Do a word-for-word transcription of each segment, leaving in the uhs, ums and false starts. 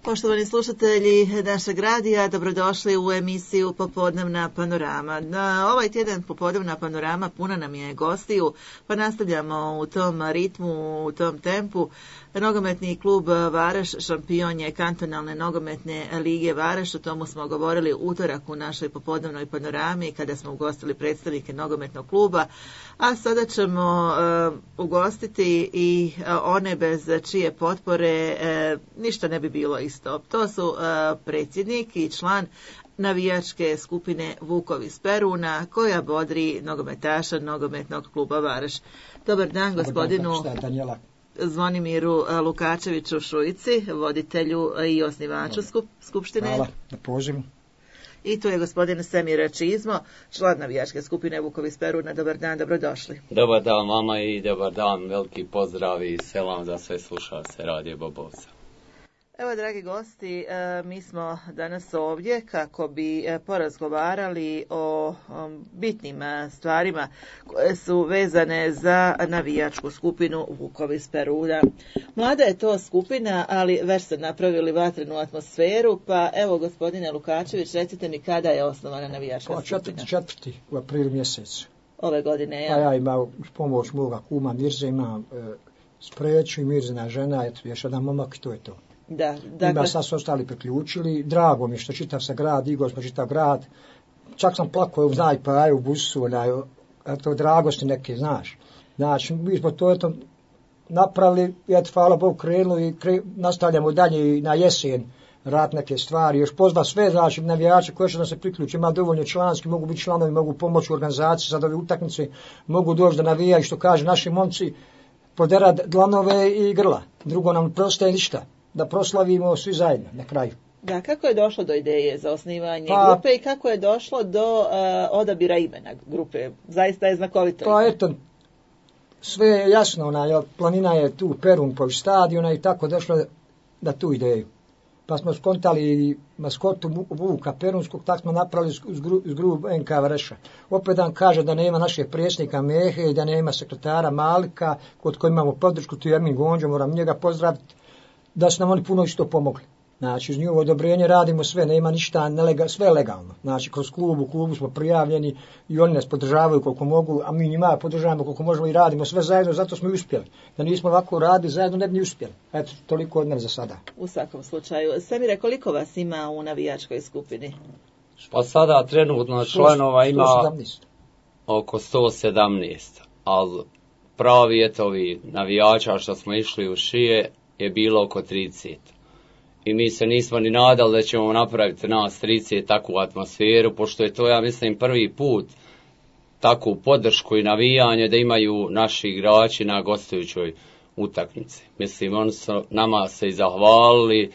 Poštovani slušatelji našeg radija, dobrodošli u emisiju Popodnevna panorama. Na ovaj tjedan Popodnevna panorama puna nam je gostiju, pa nastavljamo u tom ritmu, u tom tempu. Nogometni klub Varaš šampion je kantonalne nogometne lige Varaš, o tomu smo govorili utorak u našoj popodnevnoj panorami kada smo ugostili predstavnike nogometnog kluba, a sada ćemo uh, ugostiti i uh, one bez čije potpore uh, ništa ne bi bilo isto. To su uh, predsjednik i član navijačke skupine Vukovi iz Peruna koja bodri nogometaša nogometnog kluba Varaš. Dobar dan gospodinu Zvonimiru Lukačeviću Šujici, voditelju i osnivaču skup, skupštine. Hvala na pozivu. I tu je gospodin Semir Čizmo, član navijačke skupine Vukovi iz Peruna. Dobar dan, dobrodošli. Dobar dan vama i dobar dan, veliki pozdrav i selam za sve slušalce Radio Bobovca. Evo, dragi gosti, mi smo danas ovdje kako bi porazgovarali o bitnim stvarima koje su vezane za navijačku skupinu Vukovi iz Peruna. Mlada je to skupina, ali već ste napravili vatrenu atmosferu, pa evo, gospodine Lukačević, recite mi kada je osnovana navijačka pa, skupina? Četvrti, četvrti u aprilu mjesecu. Ove godine, ja? Pa ja imam pomoć moga kuma Mirze, imam e, Spreću i Mirzina žena, eto, još jedan momak i to je to. Da, dakle... Ima sad su ostali priključili, drago mi što čitav se grad, igao smo čitav grad, čak sam plakao, znaj, pa aj u busu, onaj, eto, dragosti neke, znaš. Znači, mi smo to, eto, napravili, eto, hvala Bogu, krenuli i kre, nastavljamo dalje na jesen, rad neke stvari, još pozva sve, znači, navijače koje će da se priključi, ima dovoljno članski, mogu biti članovi, mogu pomoći u organizaciji, sad ove utakmice, mogu doći da navijaju, što kaže naši momci, poderati dlanove i grla, drugo nam prostaje ništa. Da proslavimo svi zajedno na kraju. Da, kako je došlo do ideje za osnivanje pa, grupe i kako je došlo do uh, odabira imena grupe? Zaista je znakovito. Pa eto, sve je jasno, ona, planina je tu Perun po stadiona i tako došlo da tu ideju. Pa smo skontali maskotu Vuka Perunskog, tako smo napravili uz grubu N K Vareša. Opet dan kaže da nema našeg predsjednika Mehe i da nema sekretara Malika, kod koji imamo podršku, tu je Emin Gonđo, moram njega pozdraviti, da su nam oni puno isto pomogli. Znači, uz njihovo odobrenje radimo sve, nema ništa, nelega, sve legalno. Znači, kroz klubu, u klubu smo prijavljeni i oni nas podržavaju koliko mogu, a mi njima podržavamo koliko možemo i radimo sve zajedno, zato smo i uspjeli. Da nismo ovako radili zajedno, ne bi ni uspjeli. Eto, toliko od mene za sada. U svakom slučaju. Semire, koliko vas ima u navijačkoj skupini? Pa sada trenutno članova ima sto sedamnaest. Oko sto sedamnaest, ali pravi eto ovi navijača što smo išli u šije je bilo oko trideset. I mi se nismo ni nadali da ćemo napraviti nas trideset takvu atmosferu, pošto je to, ja mislim, prvi put takvu podršku i navijanje da imaju naši igrači na gostujućoj utakmici. Mislim, oni su nama se i zahvalili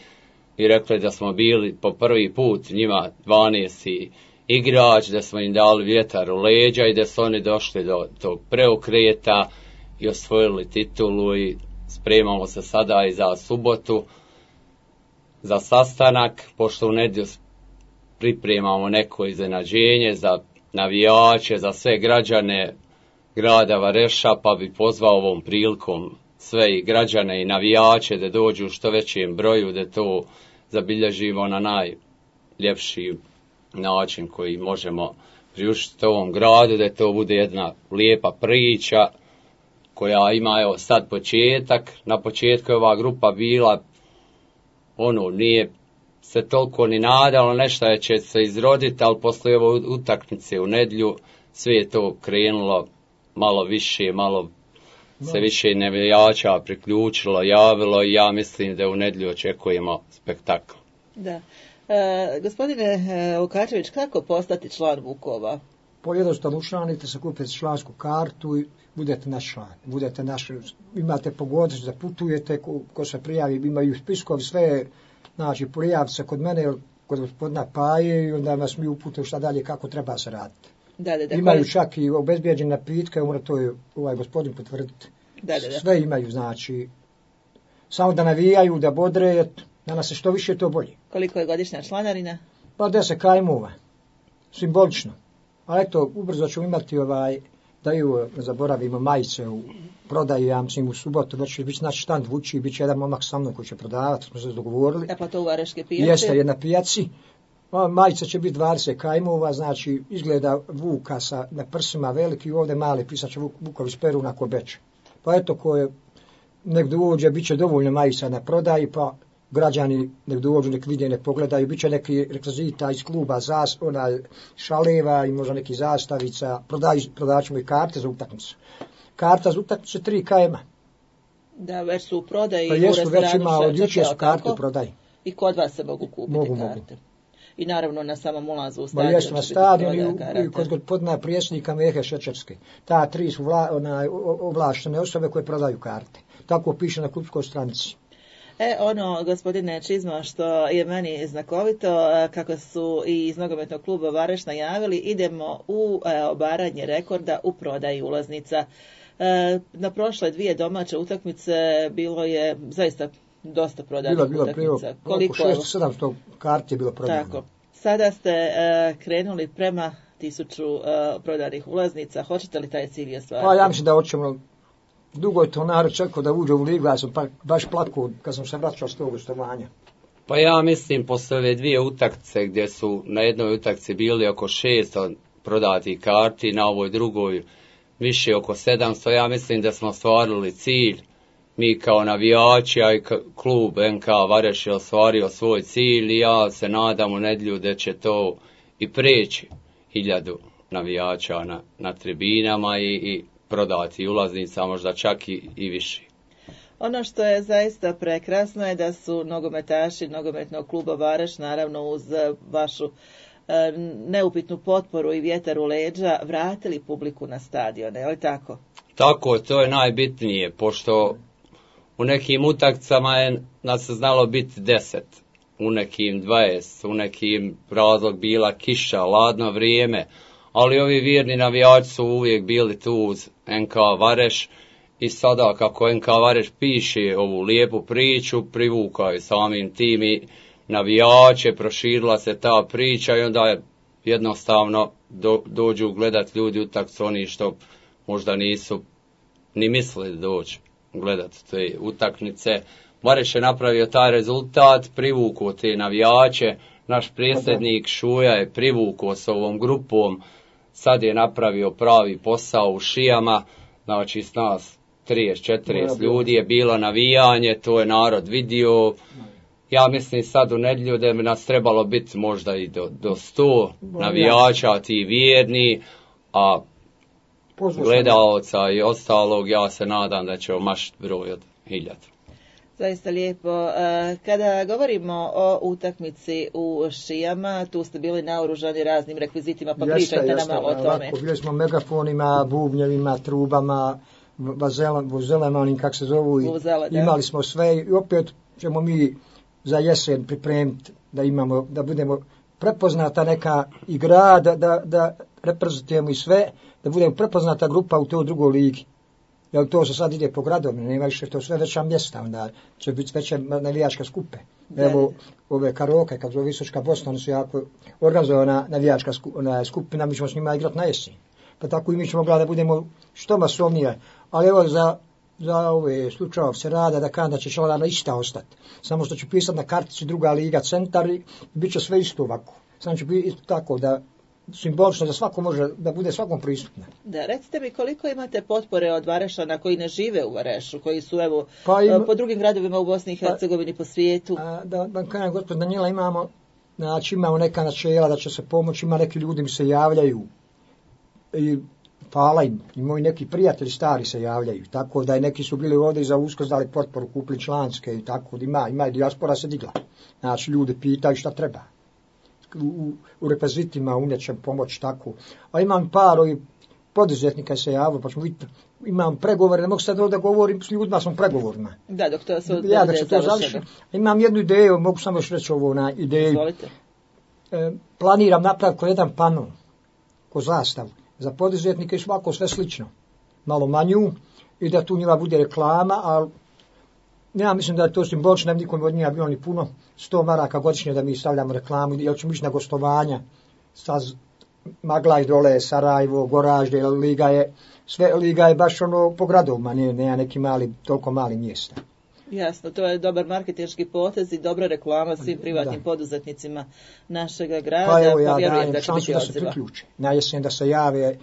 i rekli da smo bili po prvi put njima dvanaesti igrač, da smo im dali vjetar u leđa i da su oni došli do tog preokreta i osvojili titulu i spremamo se sada i za subotu, za sastanak, pošto u nedjelju pripremamo neko iznenađenje za navijače, za sve građane grada Vareša, pa bi pozvao ovom prilikom sve i građane i navijače da dođu u što većem broju, da to zabilježimo na najljepši način koji možemo priuštiti ovom gradu, da to bude jedna lijepa priča koja ima, evo, sad početak. Na početku je ova grupa bila, ono, nije se toliko ni nadalo, nešto je će se izroditi, ali poslije ove utakmice u nedjelju sve je to krenulo malo više, malo se više navijača priključilo, javilo i ja mislim da u nedjelju očekujemo spektakl. Da. E, gospodine Lukačević, kako postati član Vukova? Po jednostavno učlanite se, kupite člansku kartu i budete naš član. Budete naš, imate pogodnost da putujete, ko, ko se prijavi, imaju spiskovi sve, znači prijavite se kod mene, kod gospodina Paje i onda vas mi uputimo šta dalje, kako treba se raditi. Da, da, da, imaju koji... čak i obezbijeđene napitke, mora to je ovaj gospodin potvrditi. Da, da, da. Sve imaju, znači, samo da navijaju, da bodre, da nas se što više to bolje. Koliko je godišnja članarina? Pa deset kajmova, simbolično. Ali eto, ubrzo ćemo imati ovaj daju, ne zaboravimo, majice u prodaju, ja mislim u subotu, već će biti naš štand vući, bit će jedan momak sa mnom koji će prodavati, smo se dogovorili. E pa to u Vareške pijaci? Jeste, je na pijaci. Majica će biti dvadeset kajmova, znači izgleda vuka sa, na prsima veliki, ovdje mali, pisat će vukovi s peruna ko beče. Pa eto, ko je nek dođe, bit će dovoljno majica na prodaji, pa građani nek dođu, nek vide, nek pogledaju, bit će neki rekvizita iz kluba, zas, onaj, šaleva i možda neki zastavica, prodavat ćemo i karte za utakmicu. Karta za utakmicu tri kajma. Da, već su u prodaji pa u jesu, restoranu. Već ima, od jučer su karte u prodaji. I kod vas se mogu kupiti mogu, karte. Mogu. I naravno na samom ulazu u stadion. Ma jesu na stadion i, i kod gospodina prijesnika Mehe Šečerske. Ta tri su vla, onaj, ovlaštene osobe koje prodaju karte. Tako piše na klubskoj stranici. E, ono, gospodine Čizma, što je meni znakovito, kako su i iz nogometnog kluba Vareš najavili, idemo u e, obaranje rekorda u prodaji ulaznica. E, na prošle dvije domaće utakmice bilo je zaista dosta prodanih bilo, bilo, utakmica. Koliko? šesto sedamsto karti je bilo prodano. Tako. Sada ste e, krenuli prema tisuću e, prodanih ulaznica. Hoćete li taj cilj ostvariti? Pa ja mislim da hoćemo. Dugo je to narod čekao da uđe u ligu, ja sam pa, baš plakao kad sam se vraćao s tog gostovanja. Pa ja mislim, posle ove dvije utakmice gdje su na jednoj utakmici bili oko šesto prodatih karti, na ovoj drugoj više oko sedamsto, ja mislim da smo ostvarili cilj. Mi kao navijači, a i klub en ka Vareš je ostvario svoj cilj i ja se nadam u nedjelju da će to i preći hiljadu navijača na, na tribinama i, i prodati ulaznica, možda čak i, i više. Ono što je zaista prekrasno je da su nogometaši nogometnog kluba Vareš, naravno uz vašu e, neupitnu potporu i vjetar u leđa, vratili publiku na stadione, je li tako? Tako, to je najbitnije, pošto u nekim utakmicama je nas znalo biti deset, u nekim dvadeset, u nekim razlog bila kiša, ladno vrijeme, ali ovi vjerni navijači su uvijek bili tu uz en ka Vareš i sada kako en ka Vareš piše ovu lijepu priču, privukaju samim tim i navijače, proširila se ta priča i onda je jednostavno do, dođu gledat ljudi utakmicu oni što možda nisu ni mislili doći gledat te utakmice. Vareš je napravio taj rezultat, privukao te navijače, naš predsjednik Šuja je privukao s ovom grupom, sad je napravio pravi posao u Šijama, znači s nas trideset četrdeset ljudi je bilo navijanje, to je narod vidio. Ja mislim sad u nedjelju da bi nas trebalo biti možda i do, do sto navijača, ti vjerni, a gledaoca i ostalog, ja se nadam da će mašiti broj od hiljadu. Zaista lijepo. Kada govorimo o utakmici u Šijama, tu ste bili naoružani raznim rekvizitima, pa pričajte nam malo o tome. Ovako, bili smo megafonima, bubnjevima, trubama, vuzelama, onim kak se zovu, Vuzela, imali smo sve i opet ćemo mi za jesen pripremiti da imamo, da budemo prepoznata neka igra, da, da, da reprezentujemo i sve, da budemo prepoznata grupa u toj drugoj ligi. Jer to se sad ide po gradovima, nema više, to sve veća mjesta, onda će biti veće navijačke skupe. Evo, ove Karoke, kad zove Visočka Bosna, oni su jako organizovana navijačka skupina, mi ćemo s njima igrati na jesen. Pa tako i mi ćemo gledati da budemo što masovnije. Ali evo, za, za ove slučajeve se rada da kada će članarna ista ostati. Samo što će pisati na kartici druga liga centar i bit će sve isto ovako. Samo će biti isto tako da simbolično da svako može, da bude svakom pristupno. Da, recite mi koliko imate potpore od Varešana koji ne žive u Varešu, koji su evo pa im, po drugim gradovima u Bosni i Hercegovini, pa, po svijetu? A, da, da kažem, gospod Danijela, imamo, znači imamo neka načela da će se pomoći, ima neki ljudi mi se javljaju i hvala im, i moji neki prijatelji stari se javljaju, tako da i neki su bili ovdje i za Uskrs dali potporu, kupili članske i tako, ima, ima i dijaspora se digla. Znači ljudi pitaju šta treba. U, u rekvizitima u nečem pomoći tako. A imam par ovih poduzetnika se javio, pa ćemo vidjeti, imam pregovore, ne mogu sad ovdje govorim, s ljudima sam pregovorima. Da, dok to se ja, dok se to završi. Imam jednu ideju, mogu samo još reći ovo na ideju. Izvolite. E, planiram napraviti ko jedan pano, ko zastav, za poduzetnike i svako sve slično. Malo manju i da tu njima bude reklama, ali ja mislim da je to simbolično, nikom od njega bilo ni puno, sto maraka godišnje da mi stavljamo reklamu, jer ćemo ići na gostovanja sa Maglaj dole, Sarajevo, Goražde, liga je, sve liga je baš ono po gradovima, ne, nema neki mali, toliko mali mjesta. Jasno, to je dobar marketinški potez i dobra reklama svim privatnim da. poduzetnicima našega grada, pa, evo, ja pa vjerujem da će biti odziva. Da se priključe. Na jesen da se jave,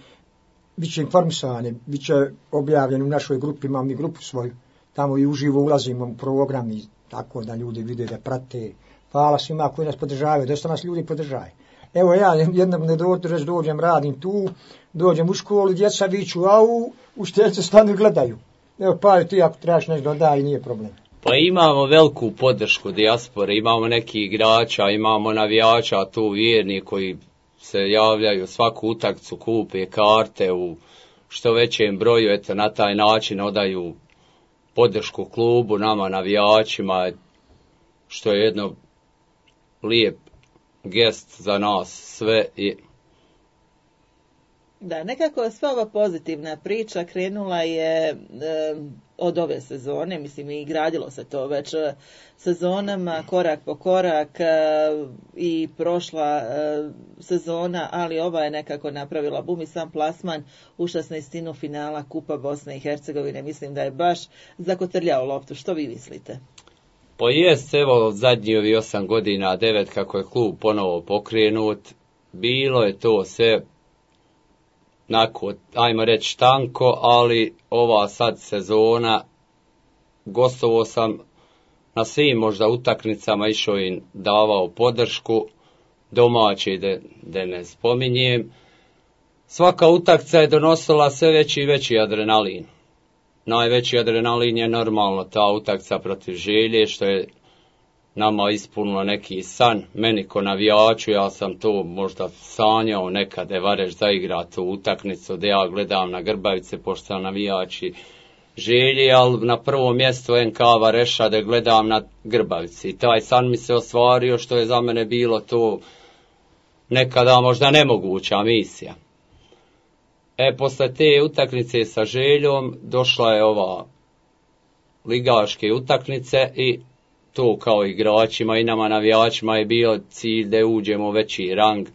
bit će informisani, bit će objavljeni u našoj grupi, imamo mi grupu svoju, tamo i uživo ulazimo u program i tako da ljudi vide da prate. Hvala svima koji nas podržavaju, dosta nas ljudi podržaju. Evo ja jednom ne dođem, dođem, radim tu, dođem u školu, djeca viču, a u, u štelce stanu i gledaju. Evo pa ti ako trebaš nešto dodaj, nije problem. Pa imamo veliku podršku dijaspore, imamo neki igrača, imamo navijača tu vjerni koji se javljaju svaku utakmicu, kupe karte u što većem broju, eto na taj način odaju podršku klubu, nama navijačima, što je jedno lijep gest za nas sve. I da, nekako sva ova pozitivna priča krenula je e, od ove sezone, mislim i gradilo se to već sezonama, korak po korak e, i prošla e, sezona, ali ova je nekako napravila bum i sam plasman u šesnaestinu finala Kupa Bosne i Hercegovine, mislim da je baš zakotrljao loptu. Što vi mislite? Pa jest, evo zadnji ovi osam godina, devet kako je klub ponovo pokrenut, bilo je to sve nako, ajmo reći tanko, ali ova sad sezona, gostovao sam na svim možda utakmicama, išao im davao podršku, domaći da, da ne spominjem. Svaka utakmica je donosila sve veći i veći adrenalin. Najveći adrenalin je normalno ta utakmica protiv Želje, što je nama ispunilo neki san. Meni ko navijaču, ja sam to možda sanjao nekad da Vareš zaigra tu utakmicu, da ja gledam na Grbavice, pošto sam navijači Želje, ali na prvo mjesto N K Vareša da gledam na Grbavici. I taj san mi se ostvario, što je za mene bilo to nekada možda nemoguća misija. E, posle te utakmice sa Željom došla je ova ligaške utakmice i to kao igračima i nama navijačima je bio cilj da uđemo u veći rang,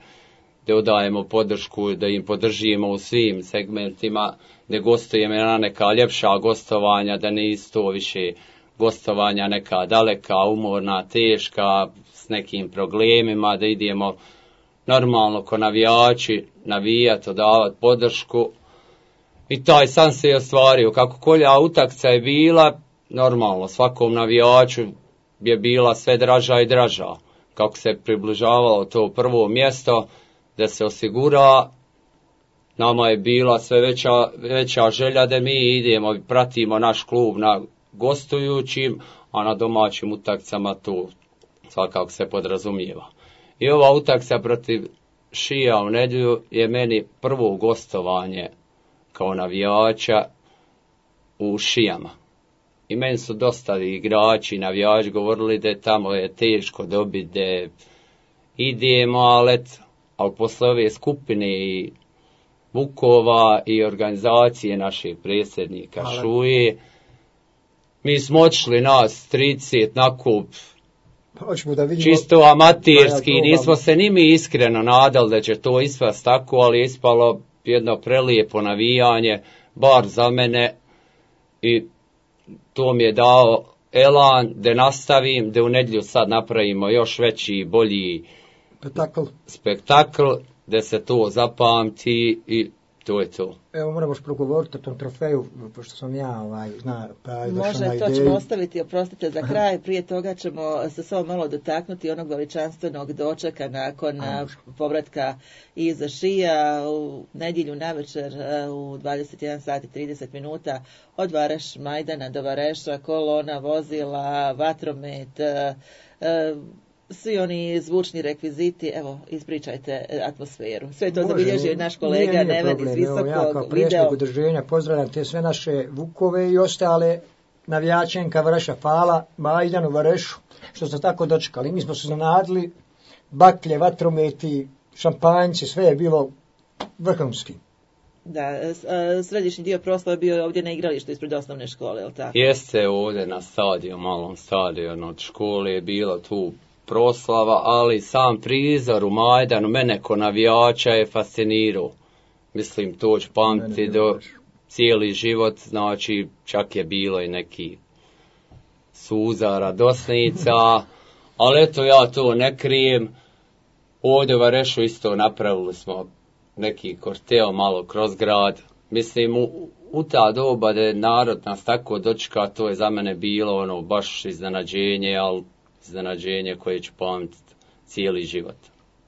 da odajemo podršku, da im podržimo u svim segmentima, da gostujemo na neka ljepša gostovanja, da ne isto više gostovanja neka daleka, umorna, teška, s nekim problemima, da idemo normalno ko navijači, navijati, odavati podršku. I taj san se je ostvario. Kako kolja utakmica je bila, normalno svakom navijaču je bila sve draža i draža. Kako se približavalo to prvo mjesto da se osigura, nama je bila sve veća, veća želja da mi idemo i pratimo naš klub na gostujućim, a na domaćim utakmicama to svakako se podrazumijeva. I ova utakmica protiv Šija u nedjelju je meni prvo gostovanje kao navijača u Šijama. I meni su dosta igrači, navijači govorili da tamo je teško dobiti, da idemo, ali, ali posle ove skupine i Vukova i organizacije našeg predsjednika ali. Šuje, mi smo otišli nas trideset na kup, da vidimo, čisto amaterski, nismo se ni mi iskreno nadali da će to ispast tako, ali je ispalo jedno prelijepo navijanje, bar za mene, i to mi je dao elan da nastavim, da u nedjelju sad napravimo još veći, bolji spektakl, spektakl da se to zapamti i to je to. Evo moramo progovoriti o tom trofeju, pošto sam ja ovaj, zna, pa može, to ćemo ostaviti, oprostite, za kraj. Prije toga ćemo se samo malo dotaknuti onog veličanstvenog dočeka nakon A, povratka iz Šija u nedjelju navečer u dvadeset jedan sat i trideset minuta od Vareš Majdana do Vareša, kolona vozila, vatromet, svi oni zvučni rekviziti. Evo, ispričajte atmosferu. Sve to zabilježio i naš kolega Neven iz Visokog. Ja kao predsjednik udruženja pozdravljam te sve naše Vukove i ostale navijačenka Vareša. Hvala Majdanu Varešu što ste tako dočekali. Mi smo se zanadili, baklje, vatrometi, šampanjci, sve je bilo vrhunski. Da, središnji dio proslava je bio ovdje na igralištu ispred osnovne škole, je li tako? Jeste ovdje na stadionu, malom stadionu od škole je bilo tu proslava, ali sam prizor u Majdanu mene ko navijača je fascinirao. Mislim, to ću pamtiti do cijeli život, znači čak je bilo i neki suza, radosnica, ali eto ja to ne krijem. Ovdje u Varešu isto napravili smo neki korteo malo kroz grad. Mislim, u, u ta doba da je narod nas tako dočeka, to je za mene bilo ono baš iznenađenje, ali iznenađenje koje ću pamtiti cijeli život.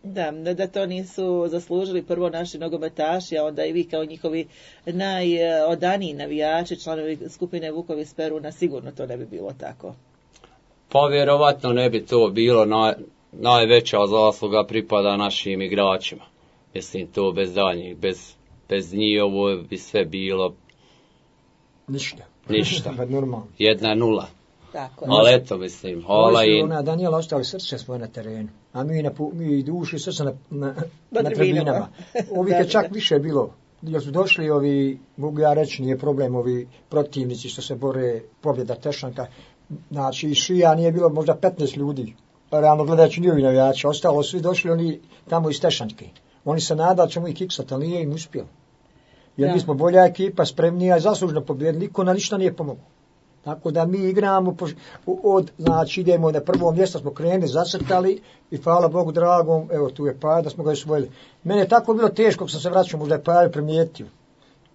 Da, da to nisu zaslužili prvo naši nogometaši, a onda i vi kao njihovi najodaniji navijači, članovi skupine Vukovi s Peruna, sigurno to ne bi bilo tako. Pa vjerovatno ne bi to bilo, naj, najveća zasluga pripada našim igračima. Mislim, to bez danjih, bez, bez njih ovo bi sve bilo ništa. Ništa. Normalno. Jedna nula. Tako. Ali eto, mislim, hvala i... Ona Danijela ostali srce svoje na terenu, a mi, na, mi duši srce na, na, na, na tribinama. Ovih je čak više bilo, jer su došli ovi, mogu ja reći, nije problem, ovi protivnici što se bore, pobjeda Tešanka, znači šija nije bilo možda petnaest ljudi, realno gledajući njihovi navijači, ostalo svi došli oni tamo iz Tešanke. Oni se nadali ćemo ih kiksati, ali nije im uspjelo. Jer da. Mi smo bolja ekipa, spremnija i zaslužno pobjeda, niko na ništa nije pomogao. Tako da mi igramo, od, znači idemo na prvo mjesto, smo krenuli, zacrtali i hvala Bogu dragom, evo tu je Paja, da smo ga osvojili. Mene je tako bilo teško kad sam se vraćao, možda je Paja primijetio.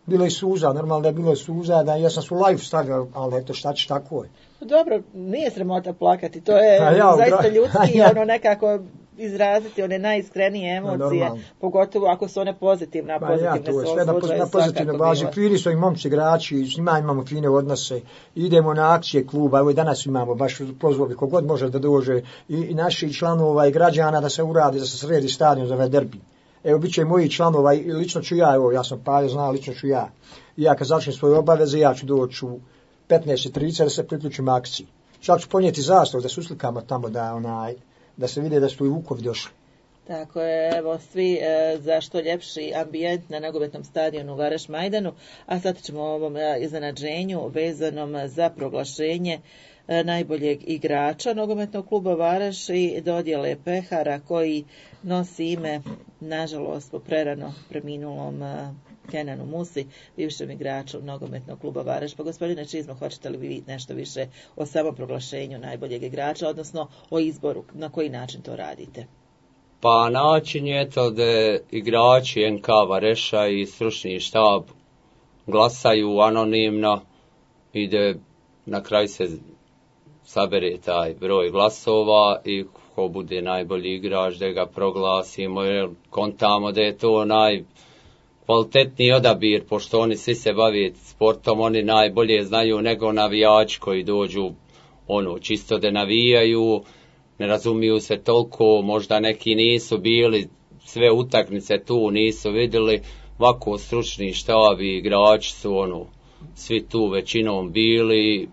Bilo je suza, normalno da je bilo suza, da ja sam su live stavio, ali eto šta će, tako je. Dobro, nije sramota plakati, to je ja, zaista ljudski, ja. ono nekako izraziti one najiskrenije emocije, no, pogotovo ako su one pozitivne, a pozitivne ja, to je sve na, na pozitivne bazi. Fini su i momci igrači, s njima imamo fine odnose, idemo na akcije kluba, evo i danas imamo baš pozvali kogod može da dođe i, i naši članova i građana da se uradi, da se sredi stadion za ovaj derbi. Evo, bit će i moji članova, i lično ću ja, evo, ja sam Pajo znao, lično ću ja. I ja kad završim svoje obaveze, ja ću doći u petnaest i trideset da se priključim akciji. Čak ću ponijeti zastav da se uslikamo tamo, da onaj, da se vide da su i Vukovi došli. Tako je, evo svi e, za što ljepši ambijent na nogometnom stadionu Vareš Majdanu, a sad ćemo o ovom e, iznenađenju vezanom za proglašenje e, najboljeg igrača nogometnog kluba Vareš i dodjele pehara koji nosi ime, nažalost, po prerano preminulom e, Kenanu Musi, bivšem igraču nogometnog kluba Vareš. Pa gospodine Čizmo, hoćete li vi nešto više o samom proglašenju najboljeg igrača, odnosno o izboru, na koji način to radite? Pa način je to da igrači N K Vareša i stručni štab glasaju anonimno i da na kraju se sabere taj broj glasova i ko bude najbolji igrač da ga proglasimo, jer kontamo da je to naj kvalitetniji odabir, pošto oni svi se bave sportom, oni najbolje znaju nego navijači koji dođu ono čisto da navijaju, ne razumiju se toliko, možda neki nisu bili, sve utakmice tu nisu vidjeli, ovako stručni štab i igrači su ono, svi tu većinom bili,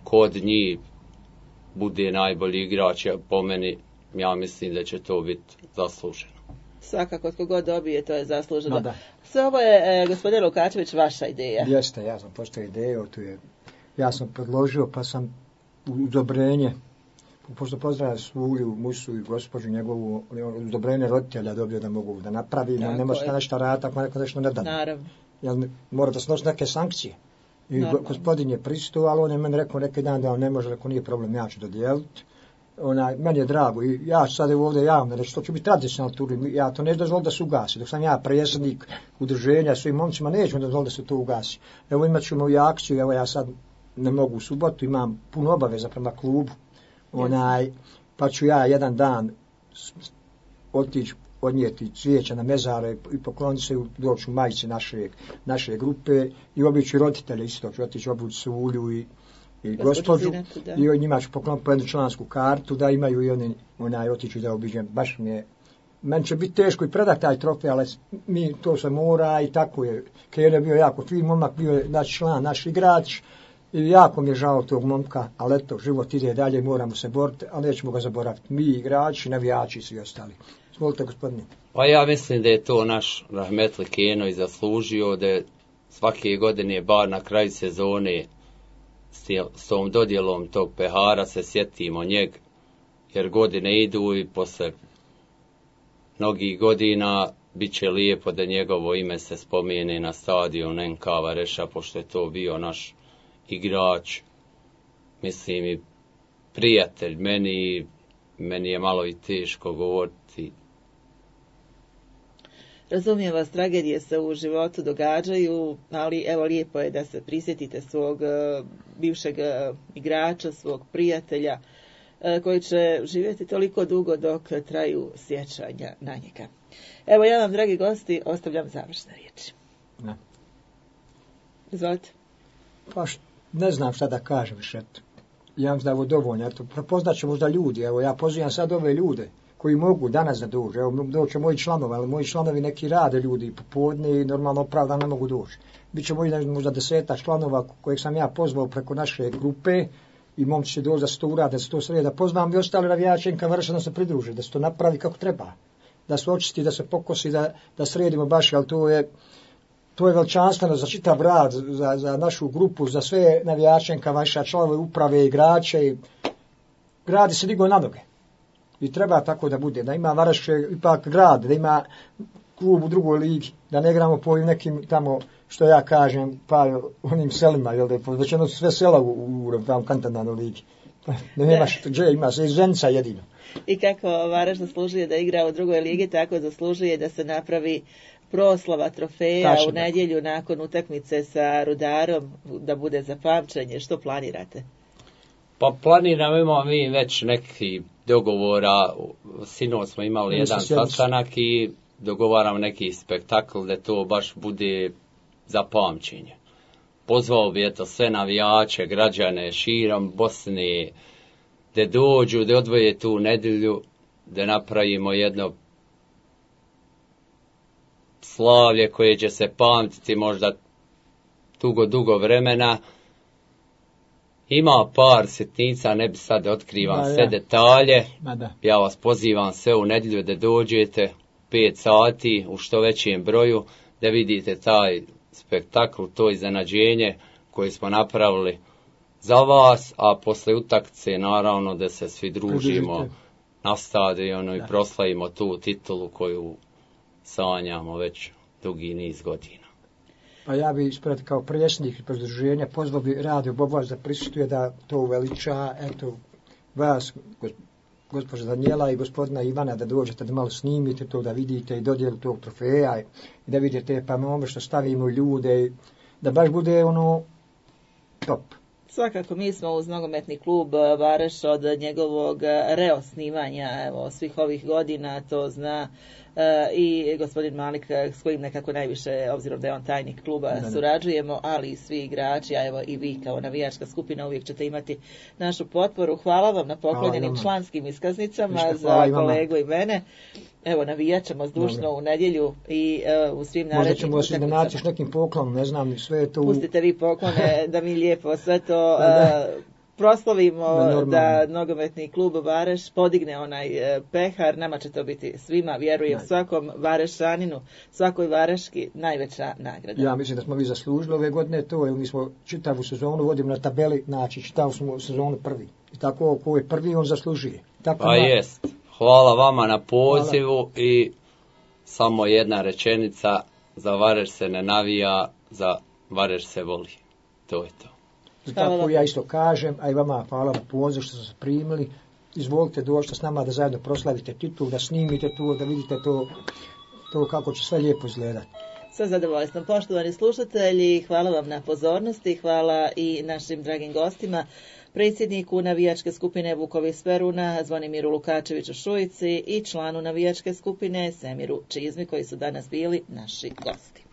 kod njih bude najbolji igrač, po meni ja mislim da će to biti zasluženo. Svakako, tko god dobije, to je zasluženo. No, da. Sve ovo je, e, gospodin Lukačević, vaša ideja. Jeste, ja sam postavio ideju, tu je, ja sam predložio, pa sam udobrenje, pošto pozdravljam Svulju, Musu i gospođu njegovu, udobrenje roditelja dobio da mogu da napravim, ne može da nešto raditi, ako neko nešto ne da. Naravno. Jel, mora da snosi neke sankcije. I Naravno. Gospodin je pristao, ali on je meni rekao neki dan da on ne može, ako nije problem, ja ću dodijeliti. Ona, meni je drago i ja ću sad ovdje javno reći, to će biti tradicionalno turnir, ja to neću dozvoliti da se ugasi, dok sam ja predsjednik udruženja svim momcima, neću dozvoliti da se to ugasi. Evo imat ćemo i akciju, evo ja sad ne mogu u subotu, imam puno obaveza prema klubu, onaj, pa ću ja jedan dan otići, odnijeti cvijeća na mezare i pokloniti se doći u majici naše, naše grupe i obići roditelje isto, ću otići obući Svulju i i gospođu, i od njima ću pokloniti po jednu člansku kartu, da imaju i oni, onaj, otiću da obiđem, baš mi je, meni će biti teško i predati taj trofej, ali mi to se mora i tako je, Kene je bio jako fin momak, bio je naš član, naš igrač, i jako mi je žao tog momka, ali eto, život ide dalje, moramo se boriti, ali nećemo ga zaboraviti, mi igrači, navijači i svi ostali. Svolite, gospodine. Pa ja mislim da je to naš rahmetli Keno i zaslužio, da svake godine, bar na kraju sezone, s tom dodjelom tog pehara se sjetimo njeg jer godine idu i posle mnogih godina bit će lijepo da njegovo ime se spomene na stadion N K Vareša, pošto je to bio naš igrač, mislim i prijatelj. Meni, meni je malo i teško govoriti. Razumijem vas, tragedije se u životu događaju, ali evo lijepo je da se prisjetite svog uh, bivšeg uh, igrača, svog prijatelja, uh, koji će živjeti toliko dugo dok traju sjećanja na njega. Evo ja vam, dragi gosti, ostavljam završne riječi. Ne. Izvolite. Pa š, ne znam šta da kažem više. Ja mislim da je ovo dovoljno. Eto, prepoznat će možda ljudi. Evo, ja pozivam sad ove ljude koji mogu danas da dođu. Evo, doće moji članovi, ali moji članovi neki rade ljudi popodne i normalno opravda ne mogu doći. Biće moji možda deseta članova kojeg sam ja pozvao preko naše grupe i momci će doći da se to urade, da se to sredi, da pozvam i ostale navijače N K Vareša da se pridruže, da se to napravi kako treba. Da se očisti, da se pokosi, da, da sredimo baš, ali to je, to je veličanstveno za čitav rad, za, za našu grupu, za sve navijače N K Vareša, članove uprave, igrače. Grad se digao na noge. I treba tako da bude, da ima Vareš ipak grad, da ima klub u drugoj ligi, da ne igramo po nekim tamo, što ja kažem, pa onim selima, jel da je većeno sve sela u, u, u tamo kantonalnoj ligi. Da nema što, gdje ima se Zenica jedino. I kako Vareš zaslužuje da igra u drugoj ligi, tako zaslužuje da se napravi proslava trofeja Tačno. u nedjelju nakon utakmice sa Rudarom, da bude za pamćenje. Što planirate? Pa planiramo, imamo mi već neki dogovora, sinoć smo imali jedan sastanak i dogovaramo neki spektakl da to baš bude za pamćenje. Pozvao bi eto sve navijače, građane širom Bosne, da dođu, da odvoje tu nedjelju, da napravimo jedno slavlje koje će se pamtiti možda dugo, dugo vremena. Ima par sitnica, ne bi sad otkrivam sve detalje. Ja vas pozivam sve u nedjelju da dođete pet sati u što većem broju, da vidite taj spektakl, to iznenađenje koje smo napravili za vas, a posle utakmice naravno da se svi družimo na stadionu i proslavimo tu titulu koju sanjamo već dugi niz godina. Pa ja bi ispred kao predsjednik pridruženja pozvao bi Radio Bobovac da prisustuje, da to uveliča, eto, vas, gospođa Danijela i gospodina Ivana, da dođete da malo snimite to, da vidite i dodijelu tog trofeja i da vidite pa ono što stavimo ljude, da baš bude ono top. Svakako, mi smo uz nogometni klub Vareš od njegovog reosnivanja, evo, svih ovih godina, to zna e, i gospodin Malik, s kojim nekako najviše, obzirom da je on tajnik kluba, ne, ne. surađujemo, ali i svi igrači, a evo i vi kao navijačka skupina uvijek ćete imati našu potporu. Hvala vam na poklonjenim članskim iskaznicama Vište, za kolegu i mene. Evo, navijat ćemo zdušno Dobre. u nedjelju i uh, u svim narednim utakmicama. Možda ćemo se da naćiš nekim poklonom, ne znam, sve je to... Pustite vi poklone da mi lijepo sve to uh, proslavimo, da, da nogometni klub Vareš podigne onaj uh, pehar. Nama će to biti svima, vjerujem, Najde. svakom Varešaninu, svakoj Vareški najveća nagrada. Ja mislim da smo vi zaslužili ove godine to, jer mi smo čitavu sezonu vodimo na tabeli, znači čitavu smo sezonu prvi. I tako ko je prvi, on zaslužuje. Tako pa na... jest. Hvala vama na pozivu. Hvala. I samo jedna rečenica, za Vareš se ne navija, za Vareš se voli. To je to. I tako ja isto kažem, a i vama hvala na pozivu što ste se primili. Izvolite doći s nama da zajedno proslavite titul, da snimite to, da vidite to, to kako će sve lijepo izgledati. Sve zadovoljstvo. Poštovani slušatelji, hvala vam na pozornosti, hvala i našim dragim gostima, predsjedniku navijačke skupine Vukovi Speruna, Zvonimiru Lukačeviću Šujici i članu navijačke skupine Semiru Čizmi, koji su danas bili naši gosti.